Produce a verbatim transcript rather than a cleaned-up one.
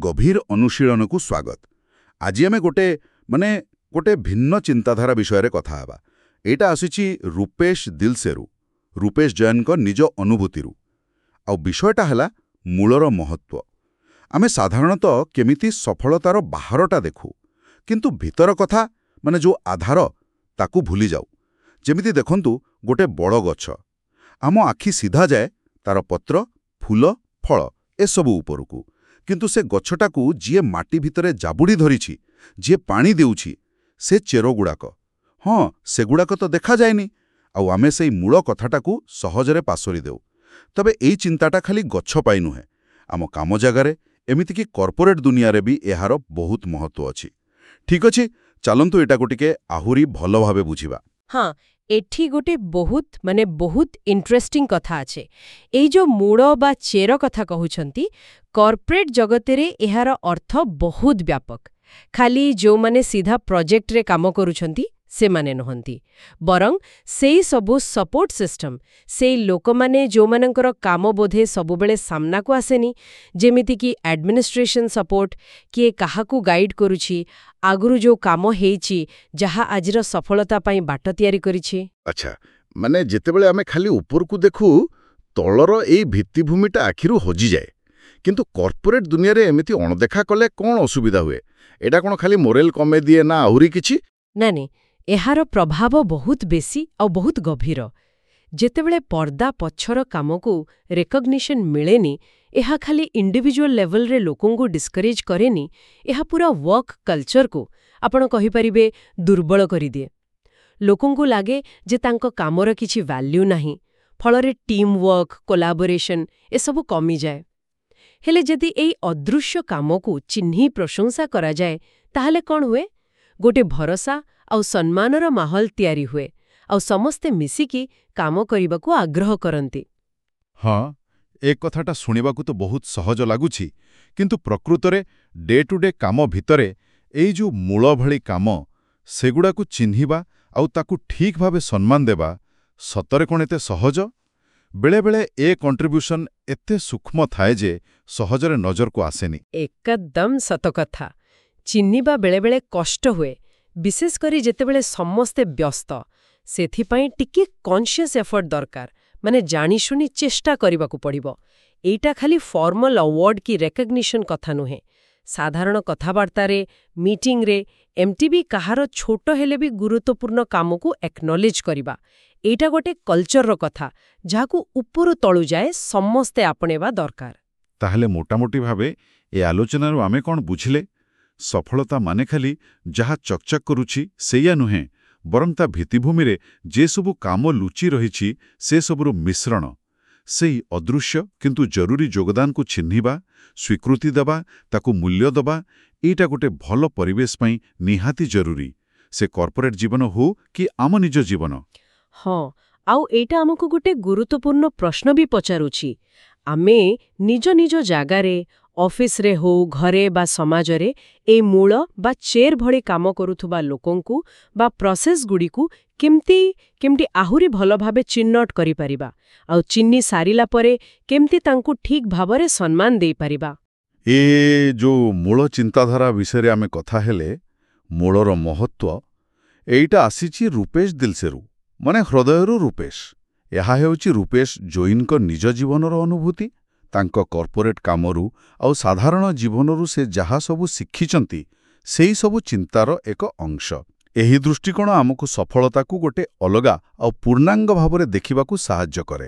ଗଭୀର ଅନୁଶୀଳନକୁ ସ୍ୱାଗତ। ଆଜି ଆମେ ଗୋଟେ ମାନେ ଗୋଟେ ଭିନ୍ନ ଚିନ୍ତାଧାରା ବିଷୟରେ କଥା ହେବା। ଏଇଟା ଆସିଛି ରୂପେଶ ଦିଲସେରୁ, ରୂପେଶ ଜୈନଙ୍କ ନିଜ ଅନୁଭୂତିରୁ। ଆଉ ବିଷୟଟା ହେଲା ମୂଳର ମହତ୍ତ୍ୱ। ଆମେ ସାଧାରଣତଃ କେମିତି ସଫଳତାର ବାହାରଟା ଦେଖୁ, କିନ୍ତୁ ଭିତର କଥା, ମାନେ ଯୋଉ ଆଧାର, ତାକୁ ଭୁଲି ଯାଉ। ଯେମିତି ଦେଖନ୍ତୁ, ଗୋଟେ ବଡ଼ ଗଛ, ଆମ ଆଖି ସିଧା ଯାଏ ତାର ପତ୍ର, ଫୁଲ, ଫଳ ଏସବୁ ଉପରକୁ। କିନ୍ତୁ ସେ ଗଛଟାକୁ ଯିଏ ମାଟି ଭିତରେ ଜାବୁଡ଼ି ଧରିଛି, ଯିଏ ପାଣି ଦେଉଛି, ସେ ଚେରଗୁଡ଼ାକ, ହଁ, ସେଗୁଡ଼ାକ ତ ଦେଖାଯାଏନି। ଆଉ ଆମେ ସେଇ ମୂଳ କଥାଟାକୁ ସହଜରେ ପାସୋରି ଦେଉ। ତେବେ ଏଇ ଚିନ୍ତାଟା ଖାଲି ଗଛ ପାଇଁ ନୁହେଁ, ଆମ କାମ ଜାଗାରେ, ଏମିତିକି କର୍ପୋରେଟ୍ ଦୁନିଆରେ ବି ଏହାର ବହୁତ ମହତ୍ତ୍ୱ ଅଛି। ଠିକ୍ ଅଛି, ଚାଲନ୍ତୁ ଏଟାକୁ ଟିକେ ଆହୁରି ଭଲ ଭାବେ ବୁଝିବା। ହଁ, ଏଠି ଗୋଟେ ବହୁତ ମାନେ ବହୁତ ଇଣ୍ଟରେଷ୍ଟିଂ କଥା ଅଛି। ଏଇ ଯୋଉ ମୂଳ ବା ଚେର କଥା କହୁଛନ୍ତି, କର୍ପୋରେଟ୍ ଜଗତରେ ଏହାର ଅର୍ଥ ବହୁତ ବ୍ୟାପକ। ଖାଲି ଯୋଉମାନେ ସିଧା ପ୍ରୋଜେକ୍ଟରେ କାମ କରୁଛନ୍ତି ସେମାନେ ନୁହନ୍ତି, ବରଂ ସେଇ ସବୁ ସପୋର୍ଟ ସିଷ୍ଟମ, ସେଇ ଲୋକମାନେ ଯୋଉମାନଙ୍କର କାମ ବୋଧେ ସବୁବେଳେ ସାମ୍ନାକୁ ଆସେନି, ଯେମିତିକି ଆଡମିନିଷ୍ଟ୍ରେସନ ସପୋର୍ଟ, କିଏ କାହାକୁ ଗାଇଡ୍ କରୁଛି, ଆଗରୁ ଯୋଉ କାମ ହେଇଛି, ଯାହା ଆଜିର ସଫଳତା ପାଇଁ ବାଟ ତିଆରି କରିଛି। ଆଚ୍ଛା, ମାନେ ଯେତେବେଳେ ଆମେ ଖାଲି ଉପରକୁ ଦେଖୁ, ତଳର ଏଇ ଭିତ୍ତିଭୂମିଟା ଆଖିରୁ ହଜିଯାଏ। କିନ୍ତୁ କର୍ପୋରେଟ୍ ଦୁନିଆରେ ଏମିତି ଅଣଦେଖା କଲେ କ'ଣ ଅସୁବିଧା ହୁଏ? ଏଇଟା କ'ଣ ଖାଲି ମୋରେଲ କମେଇ ଦିଏ ନା ଆହୁରି କିଛି? ନା ନାଇଁ, ଏହାର ପ୍ରଭାବ ବହୁତ ବେଶୀ ଆଉ ବହୁତ ଗଭୀର। ଯେତେବେଳେ ପର୍ଦ୍ଦା ପଛର କାମକୁ ରେକଗ୍ନିସନ ମିଳେନି, ଏହା ଖାଲି ଇଣ୍ଡିଭିଜୁଆଲ ଲେଭେଲରେ ଲୋକଙ୍କୁ ଡିସ୍କରେଜ୍ କରେନି, ଏହା ପୁରା ୱାର୍କ କଲଚରକୁ, ଆପଣ କହିପାରିବେ, ଦୁର୍ବଳ କରିଦିଏ। ଲୋକଙ୍କୁ ଲାଗେ ଯେ ତାଙ୍କ କାମର କିଛି ଭ୍ୟାଲ୍ୟୁ ନାହିଁ। ଫଳରେ ଟିମ୍ ୱାର୍କ, କୋଲାବୋରେସନ ଏସବୁ କମିଯାଏ। ହେଲେ ଯଦି ଏଇ ଅଦୃଶ୍ୟ କାମକୁ ଚିହ୍ନି ପ୍ରଶଂସା କରାଯାଏ, ତାହେଲେ କ'ଣ ହୁଏ? ଗୋଟେ ଭରସା ଆଉ ସମ୍ମାନର ମାହୋଲ ତିଆରି ହୁଏ ଆଉ ସମସ୍ତେ ମିଶିକି କାମ କରିବାକୁ ଆଗ୍ରହ କରନ୍ତି। ହଁ, ଏ କଥାଟା ଶୁଣିବାକୁ ତ ବହୁତ ସହଜ ଲାଗୁଛି, କିନ୍ତୁ ପ୍ରକୃତରେ ଡେ ଟୁ ଡେ କାମ ଭିତରେ ଏଇ ଯୋଉ ମୂଳ ଭଳି କାମ, ସେଗୁଡ଼ାକୁ ଚିହ୍ନିବା ଆଉ ତାକୁ ଠିକ୍ ଭାବେ ସମ୍ମାନ ଦେବା ସତରେ କ'ଣ ଏତେ ସହଜ? ବେଳେବେଳେ ଏ କଣ୍ଟ୍ରିବ୍ୟୁସନ୍ ଏତେ ସୂକ୍ଷ୍ମ ଥାଏ ଯେ ସହଜରେ ନଜରକୁ ଆସେନି। ଏକଦମ ସତ କଥା। ଚିହ୍ନିବା ବେଳେବେଳେ କଷ୍ଟ ହୁଏ, ବିଶେଷ କରି ଯେତେବେଳେ ସମସ୍ତେ ବ୍ୟସ୍ତ। ସେଥିପାଇଁ ଟିକେ କନସିୟସ୍ ଏଫର୍ଟ ଦରକାର, ମାନେ ଜାଣିଶୁଣି ଚେଷ୍ଟା କରିବାକୁ ପଡ଼ିବ। ଏଇଟା ଖାଲି ଫର୍ମାଲ ଆୱାର୍ଡ କି ରେକଗ୍ନିସନ କଥା ନୁହେଁ। ସାଧାରଣ କଥାବାର୍ତ୍ତାରେ, ମିଟିଂରେ ଏମିତି ବି କାହାର ଛୋଟ ହେଲେ ବି ଗୁରୁତ୍ୱପୂର୍ଣ୍ଣ କାମକୁ ଏକନଲେଜ କରିବା, ଏଇଟା ଗୋଟେ କଲଚରର କଥା, ଯାହାକୁ ଉପରୁ ତଳୁ ଯାଏ ସମସ୍ତେ ଆପଣେଇବା ଦରକାର। ତାହେଲେ ମୋଟାମୋଟି ଭାବେ ଏ ଆଲୋଚନାରୁ ଆମେ କ'ଣ ବୁଝିଲେ? ସଫଳତା ମାନେ ଖାଲି ଯାହା ଚକଚକ୍ କରୁଛି ସେଇଆ ନୁହେଁ, ବରଂ ତା ଭିତ୍ତିଭୂମିରେ ଯେ ସବୁ କାମ ଲୁଚି ରହିଛି ସେ ସବୁର ମିଶ୍ରଣ। ସେଇ ଅଦୃଶ୍ୟ କିନ୍ତୁ ଜରୁରୀ ଯୋଗଦାନକୁ ଚିହ୍ନିବା, ସ୍ୱୀକୃତି ଦେବା, ତାକୁ ମୂଲ୍ୟ ଦେବା, ଏଇଟା ଗୋଟେ ଭଲ ପରିବେଶ ପାଇଁ ନିହାତି ଜରୁରୀ, ସେ କର୍ପୋରେଟ୍ ଜୀବନ ହଉ କି ଆମ ନିଜ ଜୀବନ। ହଁ, ଆଉ ଏଇଟା ଆମକୁ ଗୋଟେ ଗୁରୁତ୍ୱପୂର୍ଣ୍ଣ ପ୍ରଶ୍ନ ବି ପଚାରୁଛି। ଆମେ ନିଜ ନିଜ ଜାଗାରେ, ଅଫିସରେ ହଉ, ଘରେ ବା ସମାଜରେ, ଏଇ ମୂଳ ବା ଚେର ଭଳି କାମ କରୁଥିବା ଲୋକଙ୍କୁ ବା ପ୍ରୋସେସଗୁଡ଼ିକୁ କେମିତି କେମିତି ଆହୁରି ଭଲ ଭାବେ ଚିହ୍ନଟ କରିପାରିବା, ଆଉ ଚିହ୍ନି ସାରିଲା ପରେ କେମିତି ତାଙ୍କୁ ଠିକ୍ ଭାବରେ ସମ୍ମାନ ଦେଇପାରିବା? ଏ ଯୋଉ ମୂଳ ଚିନ୍ତାଧାରା ବିଷୟରେ ଆମେ କଥା ହେଲେ, ମୂଳର ମହତ୍ତ୍ୱ, ଏଇଟା ଆସିଛି ରୂପେଶ ଦିଲସେରୁ, ମାନେ ହୃଦୟରୁ ରୂପେଶ। ଏହା ହେଉଛି ରୂପେଶ ଜୈନଙ୍କ ନିଜ ଜୀବନର ଅନୁଭୂତି। ତାଙ୍କ କର୍ପୋରେଟ୍ କାମରୁ ଆଉ ସାଧାରଣ ଜୀବନରୁ ସେ ଯାହା ସବୁ ଶିଖିଛନ୍ତି, ସେଇ ସବୁ ଚିନ୍ତାର ଏକ ଅଂଶ। ଏହି ଦୃଷ୍ଟିକୋଣ ଆମକୁ ସଫଳତାକୁ ଗୋଟେ ଅଲଗା ଆଉ ପୂର୍ଣ୍ଣାଙ୍ଗ ଭାବରେ ଦେଖିବାକୁ ସାହାଯ୍ୟ କରେ।